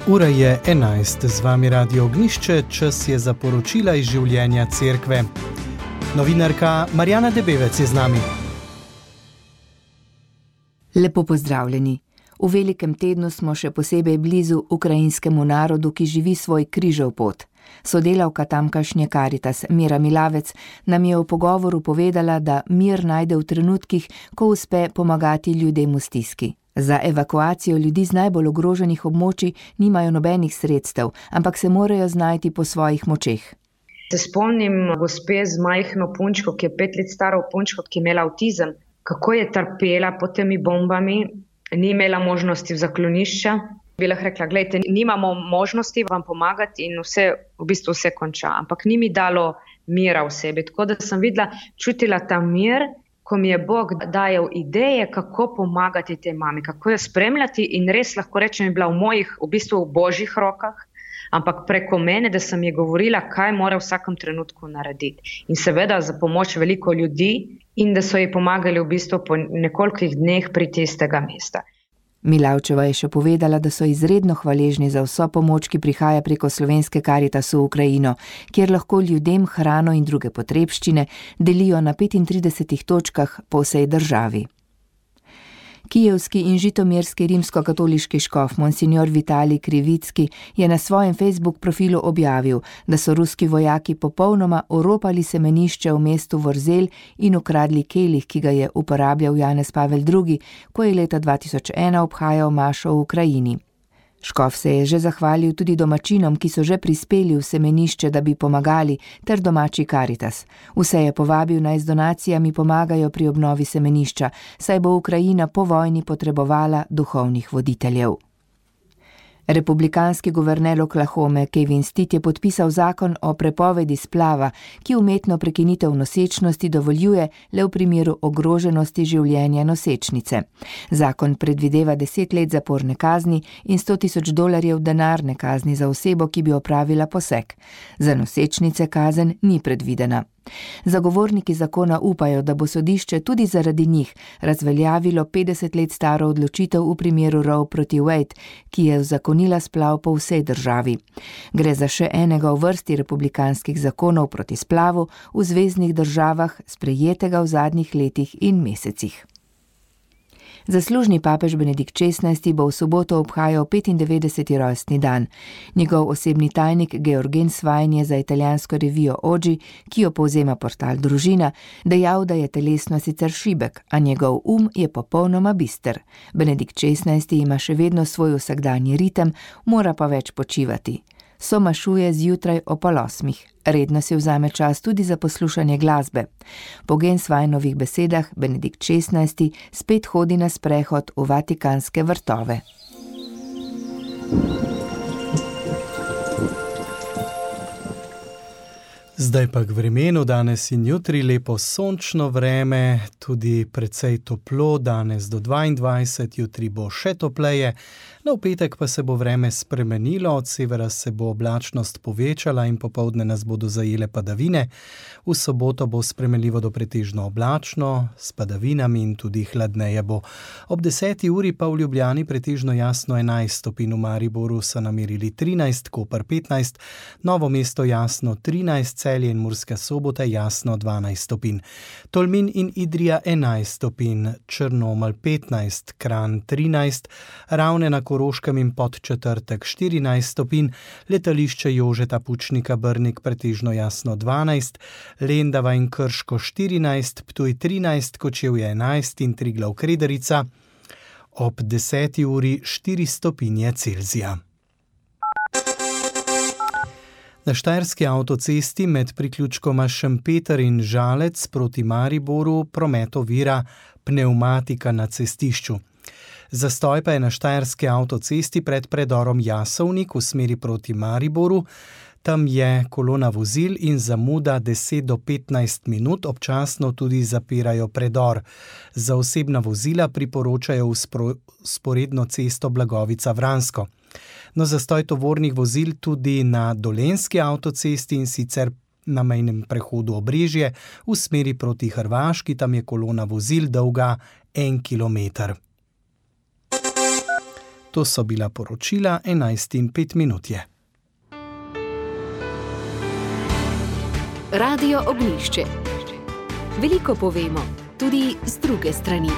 Ura je 11, z vami Radio Ognjišče, čas je za poročila iz življenja cerkve. Novinarka Marjana Debevec je z nami. Lepo pozdravljeni. V velikem tednu smo še posebej blizu ukrajinskemu narodu, ki živi svoj križev pot. Sodelavka tamkajšnje Karitas Mira Milavec nam je v pogovoru povedala, da mir najde v trenutkih, ko uspe pomagati ljudem v stiski. Za evakuacijo ljudi z najbolj ogroženih območij nimajo nobenih sredstev, ampak se morajo znajti po svojih močeh. Se spomnim gospe z majhno punčko, ki je 5 let staro punčko, ki je imela avtizem, kako je trpela pod temi bombami, ni imela možnosti v zaklonišča. Bi lahko rekla, gledajte, nimamo možnosti vam pomagati in vse konča, ampak ni mi dalo mira v sebi. Tako da sem videla, čutila ta mir, ko mi je Bog dajal ideje, kako pomagati tej mami, kako jo spremljati in res lahko rečem, je bila v božjih rokah, ampak preko mene, da sem ji govorila, kaj mora v vsakem trenutku narediti. In seveda za pomoč veliko ljudi in da so ji pomagali po nekolikih dneh priti iz tega mesta. Milavčeva je še povedala, da so izredno hvaležni za vso pomoč, ki prihaja preko slovenske Karitas v Ukrajino, kjer lahko ljudem hrano in druge potrebščine delijo na 35 točkah po vsej državi. Kijevski in žitomirski rimskokatoliški škof monsignor Vitalij Krivicki je na svojem Facebook profilu objavil, da so ruski vojaki popolnoma oropali semenišče v mestu Vrzel in ukradli kelih, ki ga je uporabljal Janez Pavel II, ko je leta 2001 obhajal mašo v Ukrajini. Škof se je že zahvalil tudi domačinom, ki so že prispeli v semenišče, da bi pomagali, ter domači Karitas. Vse je povabil, naj z donacijami pomagajo pri obnovi semenišča, saj bo Ukrajina po vojni potrebovala duhovnih voditeljev. Republikanski guverner Oklahome Kevin Stitt je podpisal zakon o prepovedi splava, ki umetno prekinitev nosečnosti dovoljuje le v primeru ogroženosti življenja nosečnice. Zakon predvideva 10 let zaporne kazni in $100,000 denarne kazni za osebo, ki bi opravila poseg. Za nosečnice kazen ni predvidena. Zagovorniki zakona upajo, da bo sodišče tudi zaradi njih razveljavilo 50 let staro odločitev v primeru Roe proti Wade, ki je uzakonila splav po vsej državi. Gre za še enega v vrsti republikanskih zakonov proti splavu v zveznih državah, sprejetega v zadnjih letih in mesecih. Zaslužni papež Benedikt XVI bo v soboto obhajal 95. rojstni dan. Njegov osebni tajnik Georgen Svajn je za italijansko revijo Oggi, ki jo povzema portal Družina, dejal, da je telesno sicer šibek, a njegov je popolnoma bister. Benedikt XVI ima še vedno svoj vsakdanji ritem, mora pa več počivati. Somašuje zjutraj o 7:30. Redno si vzame čas tudi za poslušanje glasbe. Po Svajnovih besedah Benedikt XVI spet hodi na sprehod v Vatikanske vrtove. Zdaj pa k vremenu, danes in jutri lepo sončno vreme, tudi precej toplo, danes do 22, jutri bo še topleje. V petek pa se bo vreme spremenilo, od severa se bo oblačnost povečala in popoldne nas bodo zajele padavine. V soboto bo spremenljivo do pretežno oblačno, s padavinami in tudi hladneje bo. Ob 10. uri pa v Ljubljani pretežno jasno 11 stopinj, v Mariboru so namerili 13, Koper 15, Novo mesto jasno 13, Celje in Murska Sobota jasno 12 stopinj. Tolmin in Idrija 11 stopinj, Črnomelj 15, Kranj 13, Ravne na Koroškem in Podčetrtek 14 stopinj, letališče Jožeta Pučnika Brnik pretežno jasno 12, Lendava in Krško 14, Ptuj 13, Kočevje 11 in Triglav Krederica ob 10. uri 4 stopinje Celzija. Na štajerski avtocesti med priključkoma Šempeter in Žalec proti Mariboru promet ovira pnevmatika na cestišču. Zastoj pa je na štajerski avtocesti pred predorom Jasovnik v smeri proti Mariboru. Tam je kolona vozil in zamuda 10 do 15 minut, občasno tudi zapirajo predor. Za osebna vozila priporočajo vzporedno cesto Blagovica-Vransko. No, zastoj tovornih vozil tudi na dolenjski avtocesti in sicer na mejnem prehodu Obrežje v smeri proti Hrvaški, tam je kolona vozil dolga 1 kilometer. To so bila poročila 11:05. Radio Ognjišče. Veliko povemo, tudi z druge strani.